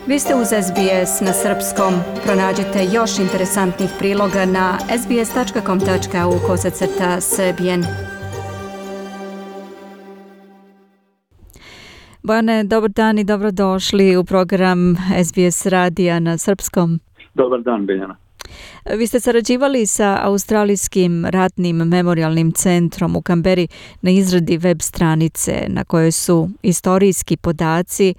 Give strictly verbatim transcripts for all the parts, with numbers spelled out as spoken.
Vi ste uz S B S na srpskom. Pronađite još interesantnih priloga na sbs.com tačka au kosacrta srbijen. Bojane, dobar dan i dobrodošli u program S B S radija na srpskom. Dobar dan, Biljana. Vi ste sarađivali sa Australijskim ratnim memorialnim centrom u Kamberi na izradi web stranice na kojoj su istorijski podaci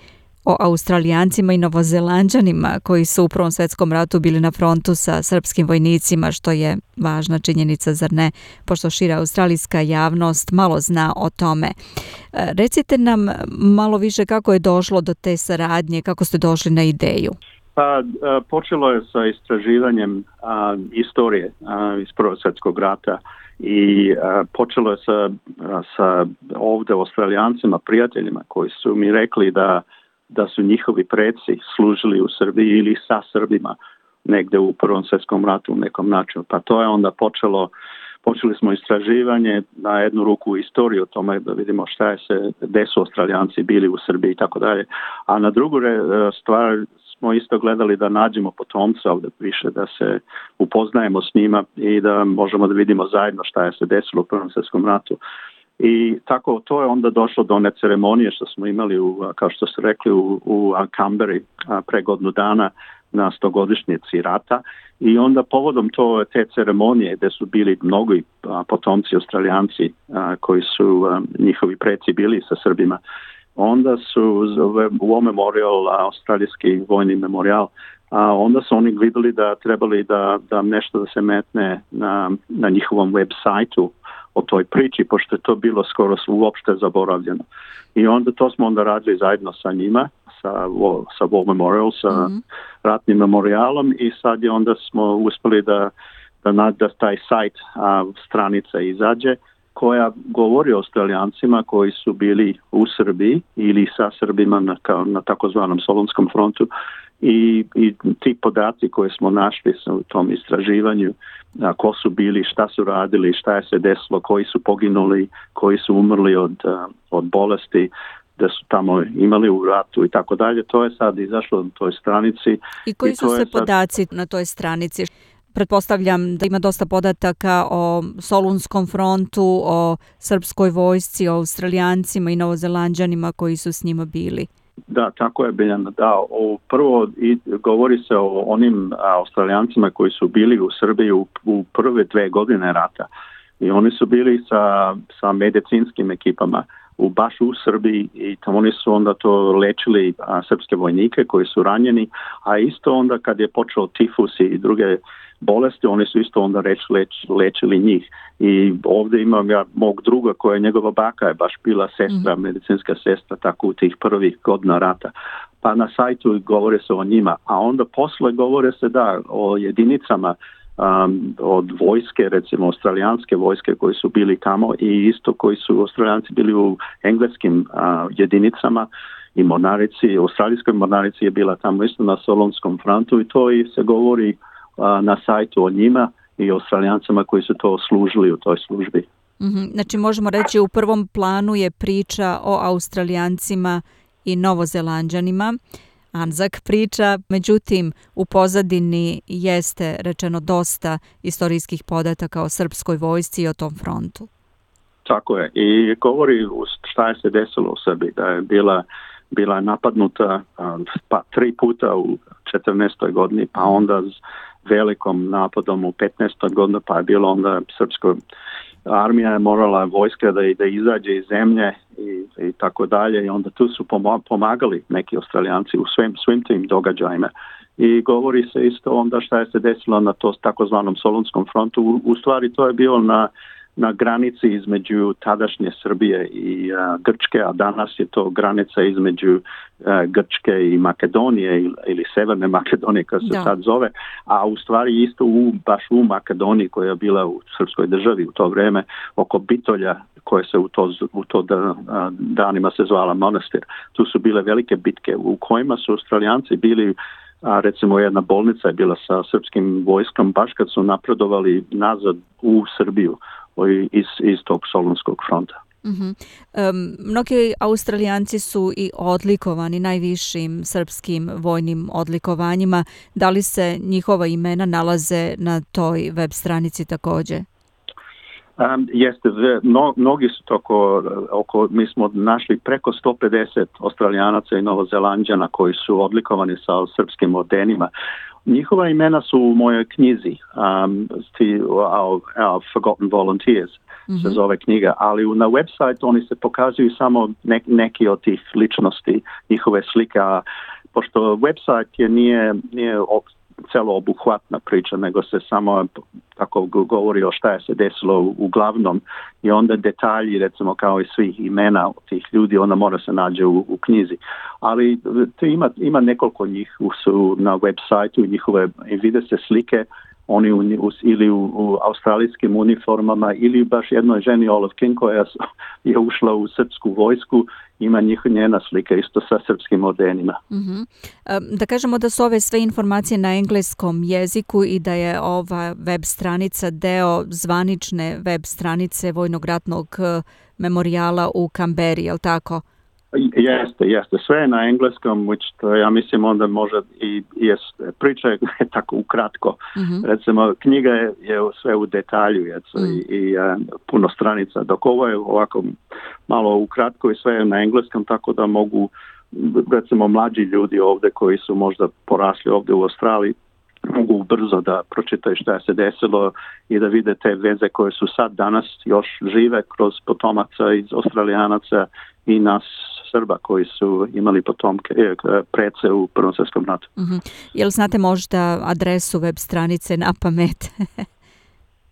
o Australijancima i Novozelanđanima koji su u Prvom svjetskom ratu bili na frontu sa srpskim vojnicima, što je važna činjenica, zar ne, pošto šira australijska javnost malo zna o tome. Recite nam malo više kako je došlo do te saradnje, kako ste došli na ideju. Pa, počelo je sa istraživanjem a, istorije a, iz Prvog svjetskog rata i a, počelo je sa, a, sa ovdje Australijancima, prijateljima koji su mi rekli da da su njihovi preci služili u Srbiji ili sa Srbima negdje u Prvom svjetskom ratu u nekom načinu. Pa to je onda počelo, počeli smo istraživanje na jednu ruku istoriju o tome da vidimo šta je se, gdje su Australijanci bili u Srbiji i tako dalje. A na drugu stvar smo isto gledali da nađemo potomca ovdje više, da se upoznajemo s njima i da možemo da vidimo zajedno šta je se desilo u Prvom svjetskom ratu. I tako to je onda došlo do one ceremonije što smo imali, u, kao što ste rekli, u, u Kamberi pre godinu dana na stogodišnjici rata. I onda povodom to, te ceremonije gdje su bili mnogi potomci Australijanci a, koji su a, njihovi preci bili sa Srbima, onda su u memorial, australijski vojni memorial, a onda su oni vidjeli da trebali da, da nešto da se metne na, na njihovom web sajtu o toj priči, pošto je to bilo skoro uopšte zaboravljeno. I onda to smo onda radili zajedno sa njima, sa, sa War Memorial, sa mm-hmm. ratnim memorialom i sad je onda smo uspjeli da, da, da taj sajt, a, stranica izađe koja govori o Australijancima koji su bili u Srbiji ili sa Srbima na, kao, na takozvanom Solunskom frontu. I, i ti podaci koje smo našli u tom istraživanju, a, ko su bili, šta su radili, šta je se desilo, koji su poginuli, koji su umrli od, a, od bolesti, da su tamo imali u ratu i tako dalje, to je sad izašlo na toj stranici. I koji su se sad podaci na toj stranici? Pretpostavljam da ima dosta podataka o Solunskom frontu, o srpskoj vojsci, o Australijancima i Novozelanđanima koji su s njima bili. Da, tako je, Biljana. Da, o, prvo i govori se o onim Australijancima koji su bili u Srbiji u, u prve dve godine rata. I oni su bili sa, sa medicinskim ekipama u baš u Srbiji i tamo oni su onda to lečili a, srpske vojnike koji su ranjeni, a isto onda kad je počeo tifus i druge bolesti, oni su isto onda reč, leč, lečili njih. I ovdje imam ja mog druga koja je njegova baka je baš bila sestra, mm. medicinska sestra, tako u tih prvih godina rata. Pa na sajtu govore se o njima, a onda posle govore se da o jedinicama um, od vojske, recimo australijanske vojske koji su bili tamo i isto koji su Australijanci bili u engleskim uh, jedinicama i mornarici, australijskoj mornarici je bila tamo isto na Solunskom frontu i to i se govori na sajtu o njima i Australijancima koji su to služili u toj službi. Mm-hmm. Znači možemo reći u prvom planu je priča o Australijancima i Novozelanđanima, Anzak priča, međutim u pozadini jeste rečeno dosta istorijskih podataka o srpskoj vojsci i o tom frontu. Tako je i govori šta je se desilo u Srbiji, da je bila bila napadnuta pa tri puta u četrnaestoj godini, pa onda s velikom napadom u petnaestoj godini, pa je bilo onda srpska armija je morala vojska da, da izađe iz zemlje i, i tako dalje i onda tu su pomagali neki Australijanci u svim, svim tim događajima. I govori se isto onda šta je se desilo na to takozvanom Solunskom frontu. U, u stvari to je bilo na na granici između tadašnje Srbije i uh, Grčke, a danas je to granica između uh, Grčke i Makedonije ili, ili Severne Makedonije, kao se da. sad zove, a u stvari isto u, baš u Makedoniji koja je bila u srpskoj državi u to vrijeme, oko Bitolja koje se u to, u to da, uh, danima se zvala Monastir. Tu su bile velike bitke u kojima su Australijanci bili, a recimo jedna bolnica je bila sa srpskim vojskom baš kad su napredovali nazad u Srbiju iz, iz tog Solunskog fronta. Uh-huh. Um, mnogi Australijanci su i odlikovani najvišim srpskim vojnim odlikovanjima. Da li se njihova imena nalaze na toj web stranici također? Um, jeste, no, mnogi su to oko, oko, mi smo našli preko sto pedeset Australijanaca i Novozelanđana koji su odlikovani sa srpskim ordenima. Njihova imena su u mojoj knjizi, um, our, our Forgotten Volunteers, mm-hmm. se zove knjiga, ali na website oni se pokazuju samo ne, neki od tih ličnosti, njihove slike, a pošto website je nije, nije celo obuhvatna priča, nego se samo tako govori o šta je se desilo uglavnom i onda detalji, recimo kao i svih imena tih ljudi, onda mora se nađe u, u knjizi. Ali ima, ima nekoliko njih su na web sajtu njihove i vide se slike oni u, u, ili u, u australijskim uniformama ili baš jednoj ženi Olive King koja je ušla u srpsku vojsku, ima njih, njena slika isto sa srpskim ordenima. Mm-hmm. Da kažemo da su ove sve informacije na engleskom jeziku i da je ova web stranica deo zvanične web stranice Vojnog ratnog memorijala u Kamberi, je li tako? Jeste, jeste. Sve je na engleskom, which to, ja mislim onda može i jest, priča je tako ukratko. Mm-hmm. Recimo, knjiga je, je sve u detalju jeco, mm. i, i uh, puno stranica, dok ovo je ovako malo ukratko i sve je na engleskom, tako da mogu, recimo, mlađi ljudi ovdje koji su možda porasli ovdje u Australiji, mogu brzo da pročitaju šta se desilo i da vide te veze koje su sad danas još žive kroz potomaca iz Australijanaca i nas Srba koji su imali potomke, prece u Prvom svjetskom ratu. Mm-hmm. Jel znate možda adresu web stranice na pamet?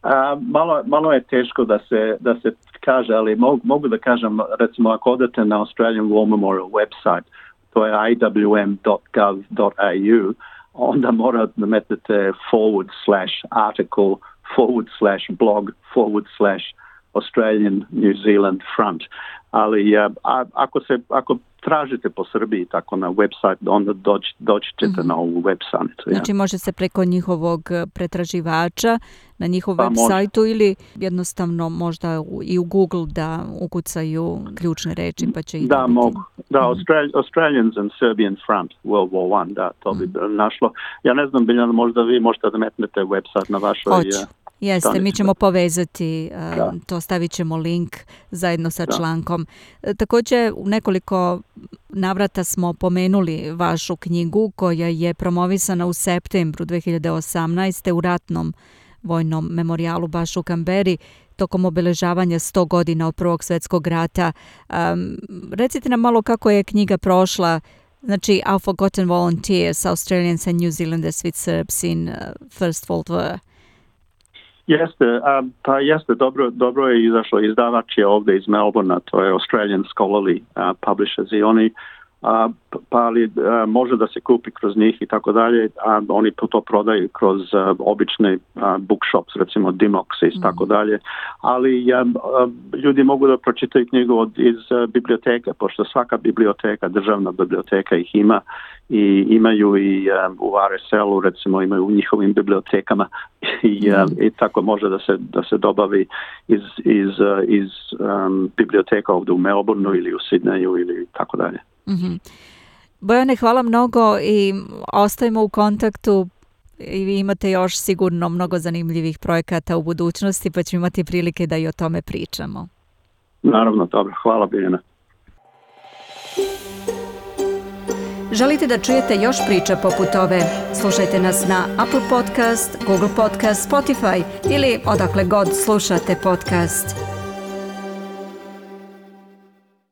A, malo, malo je teško da se, da se kaže, ali mogu, mogu da kažem, recimo ako odete na Australian War Memorial website, to je i w m dot gov dot a u, onda mora da metnete forward slash article, forward slash blog, forward slash Australian New Zealand Front. Ali a, a, ako se ako tražite po Srbiji tako na website, onda doći, doći ćete mm-hmm. na ovu web stranicu. Ja. Znači može se preko njihovog pretraživača na njihov pa, web sajtu ili jednostavno možda i u Google da ukucaju ključne reči pa će ih da mogu. Da, Austral- Australians and Serbian Front World War One, da, to bi mm-hmm. našlo. Ja ne znam, Biljana, možda vi možete da metnete website na vašoj... Hoću. Jeste, mi ćemo povezati, uh, to stavit ćemo link zajedno sa da. člankom. Također u nekoliko navrata smo pomenuli vašu knjigu koja je promovisana u septembru dve hiljade osamnaeste u ratnom vojnom memorijalu baš u Kamberi tokom obeležavanja sto godina od Prvog svjetskog rata. Um, recite nam malo kako je knjiga prošla, znači Our Forgotten Volunteers, Australians and New Zealanders with Serbs in uh, First World War. Jeste, a, pa jeste, dobro, dobro je izašlo, izdavač je ovdje iz Melbourna, to je Australian Scholarly uh, Publishers i oni a, pa ali a, može da se kupi kroz njih i tako dalje, a oni to prodaju kroz a, obične a, bookshops, recimo Dimox i mm. tako dalje, ali a, a, ljudi mogu da pročitaju knjigu od, iz a, biblioteke, pošto svaka biblioteka, državna biblioteka ih ima i imaju i um, u R S L-u, recimo imaju u njihovim bibliotekama i, mm. um, i tako može da se, da se dobavi iz, iz, uh, iz um, biblioteka ovdje u Melbourneu ili u Sidneju ili tako dalje. Mm-hmm. Bojane, hvala mnogo i ostajemo u kontaktu i vi imate još sigurno mnogo zanimljivih projekata u budućnosti pa ćemo imati prilike da i o tome pričamo. Naravno, dobro. Hvala, Biljana. Želite da čujete još priča poput ove? Slušajte nas na Apple Podcast, Google Podcast, Spotify ili odakle god slušate podcast.